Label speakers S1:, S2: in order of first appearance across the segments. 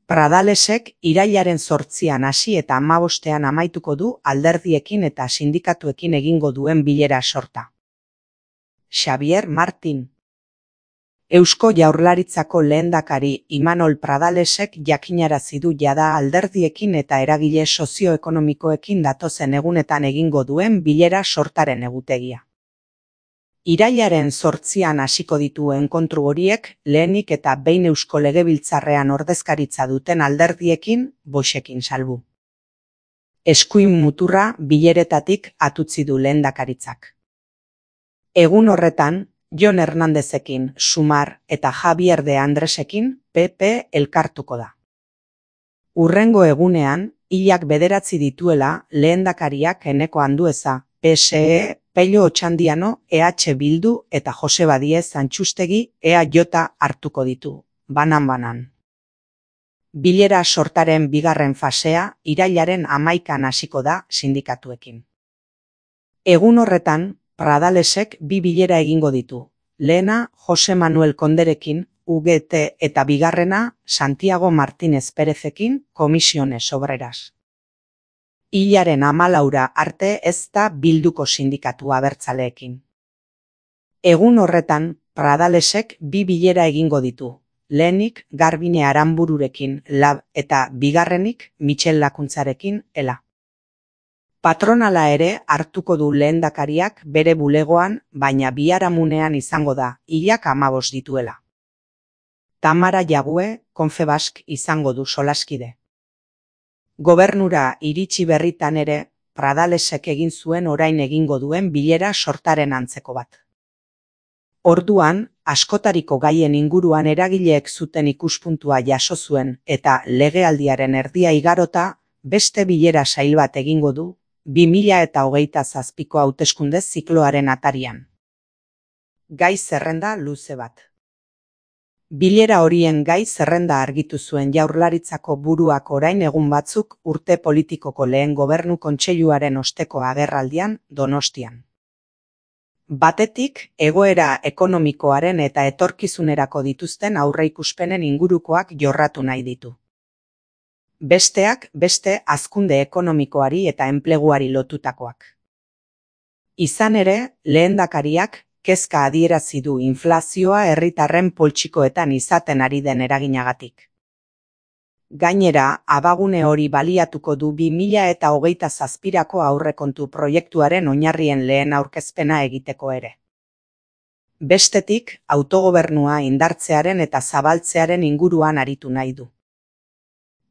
S1: Pradalesek irailaren 8an hasi eta 15ean amaituko du alderdiekin eta sindikatuekin egingo duen bilera sorta. Xabier Martin. Eusko Jaurlaritzako lehendakari Imanol Pradalesek jakinarazi du jada alderdiekin eta eragile sozioekonomikoekin datozen egunetan egingo duen bilera sortaren egutegia. Irailaren 8an hasiko ditu enkontru horiek lehenik eta behin Eusko Legebiltzarrean ordezkaritza duten alderdiekin, Voxekin salbu. Eskuin muturra bileretatik atutzi du lehendakaritzak. Egun horretan, Jon Hernandezekin, Sumar eta Javier de Andresekin PP elkartuko da. Hurrengo egunean, hilak 9 dituela lehendakariak Eneko Andueza, PSE, Pello Otxandiano, EH Bildu eta Joseba Diez Antxustegi EAJ hartuko ditu, banan-banan. Bilera sortaren bigarren fasea irailaren 11an hasiko da sindikatuekin. Egun horretan, Pradalesek 2 bilera egingo ditu. Lehena Jose Manuel Konderekin, UGT eta bigarrena Santiago Martínez Pérezekin, Comisiones Obreras. Hilaren 14 arte ez da Bilduko sindikatu abertzaleekin. Egun horretan, Pradalesek 2 bilera egingo ditu. Lehenik Garbine Aranbururekin, LAB eta bigarrenik Michel Lakuntzarekin, ELA. Patronala ere hartuko du lehendakariak bere bulegoan, baina biharamunean izango da, hilak 15 dituela. Tamara Jague, Confebask izango du solaskide. Gobernura iritsi berritan ere, Pradalesek egin zuen orain egingo duen bilera sortaren antzeko bat. Orduan, askotariko gaien inguruan eragileek zuten ikuspuntua jaso zuen eta legealdiaren erdia igarota beste bilera sail bat egingo du, 2027ko hauteskunde zikloaren atarian. Gai zerrenda luze bat. Bilera horien gai zerrenda argitu zuen Jaurlaritzako buruak orain egun batzuk urte politikoko lehen gobernu kontseiluaren osteko agerraldian Donostian. Batetik, egoera ekonomikoaren eta etorkizunerako dituzten aurreikuspenen ingurukoak jorratu nahi ditu. Besteak beste hazkunde ekonomikoari eta enpleguari lotutakoak. Izan ere, lehendakariak kezka adierazi du inflazioa herritarren poltsikoetan izaten ari den eraginagatik. Gainera, abagune hori baliatuko du 2027ko aurrekontu proiektuaren oinarrien lehen aurkezpena egiteko ere. Bestetik, autogobernua indartzearen eta zabaltzearen inguruan aritu nahi du.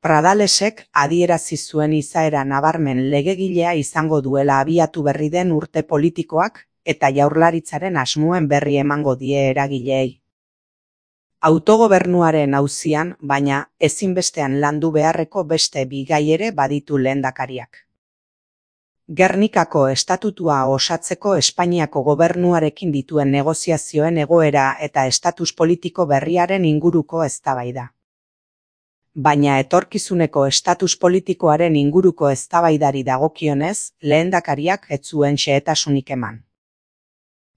S1: Pradalesek adierazi zuen izaera nabarmen legegilea izango duela abiatu berri den urte politikoak eta Jaurlaritzaren asmoen berri emango die eragileei. Autogobernuaren auzian, baina ezinbestean landu beharreko beste 2 gai ere baditu lehendakariak. Gernikako estatutua osatzeko Espainiako gobernuarekin dituen negoziazioen egoera eta estatus politiko berriaren inguruko eztabaida. Baina etorkizuneko estatus politikoaren inguruko eztabaidari dagokionez, lehendakariak ez zuen xehetasunik eman.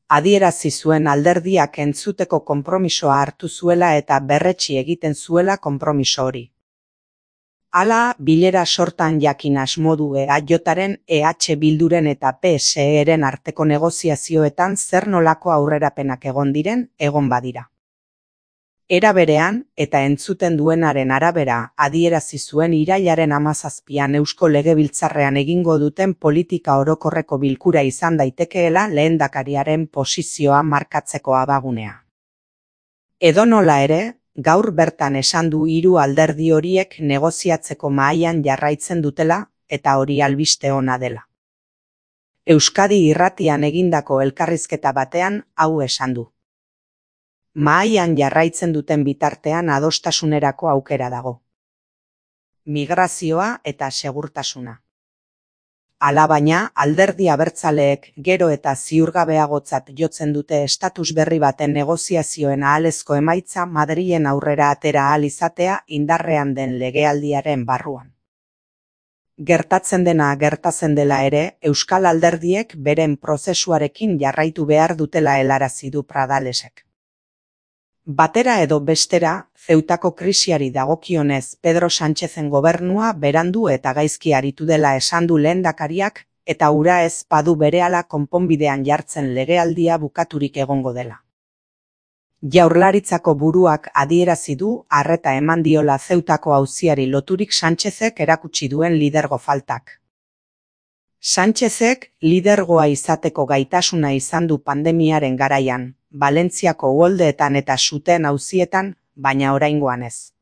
S1: Adierazi zuen alderdiak entzuteko konpromisoa hartu zuela eta berretsi egiten zuela konpromiso hori. Hala, bilera sortan jakin asmo du EAJaren, EH Bilduren eta PSEren arteko negoziazioetan zer nolako aurrerapenak egon diren, egon badira. Era berean, eta entzuten duenaren arabera, adierazi zuen irailaren 17an Eusko Legebiltzarrean egingo duten politika orokorreko bilkura izan daitekeela lehendakariaren posizioa markatzeko abagunea. Edonola ere, gaur bertan esan du 3 alderdi horiek negoziatzeko mahaian jarraitzen dutela, eta hori albiste ona dela. Euskadi Irratian egindako elkarrizketa batean hau esan du. Mahaian jarraitzen duten bitartean adostasunerako aukera dago. Migrazioa eta segurtasuna. Alabaina, alderdi abertzaleek gero eta ziurgabeagotzat jotzen dute estatus berri baten negoziazioen ahalezko emaitza Madrilen aurrera atera ahal izatea indarrean den legealdiaren barruan. Gertatzen dena gertatzen dela ere, euskal alderdiek beren prozesuarekin jarraitu behar dutela helarazi du Pradalesek. Batera edo bestera, Zeutako krisiari dagokionez Pedro Sánchezen gobernua berandu eta gaizki aritu dela esan du lehendakariak, eta hura ez badu berehala konponbidean jartzen legealdia bukaturik egongo dela. Jaurlaritzako buruak adierazi du arreta eman diola Zeutako auziari loturik Sánchezek erakutsi duen lidergo faltak. Sánchezek lidergoa izateko gaitasuna izan du pandemiaren garaian, Valentziako uholdeetan eta suteen auzietan, baina oraingoan ez.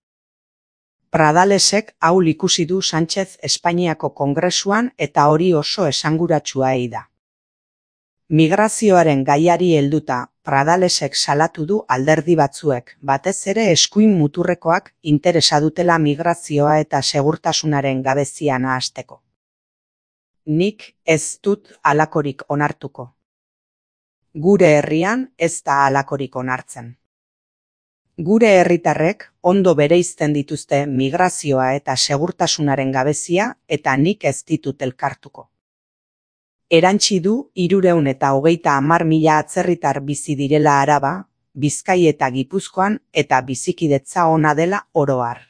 S1: Pradalesek ahul ikusi du Sánchez Espainiako Kongresuan eta hori oso esanguratsua da. Migrazioaren gaiari helduta, Pradalesek salatu du alderdi batzuek, batez ere eskuin muturrekoak interesa dutela migrazioa eta segurtasunaren gabezia nahasteko. Nik ez dut halakorik onartuko. Gure herrian ez da halakorik onartzen. Gure herritarrek ondo bereizten dituzte migrazioa eta segurtasunaren gabezia eta nik ez ditut elkartuko. Erantsi du 330.000 atzerritar bizi direla Araba, Bizkai eta Gipuzkoan eta bizikidetza ona dela oro har.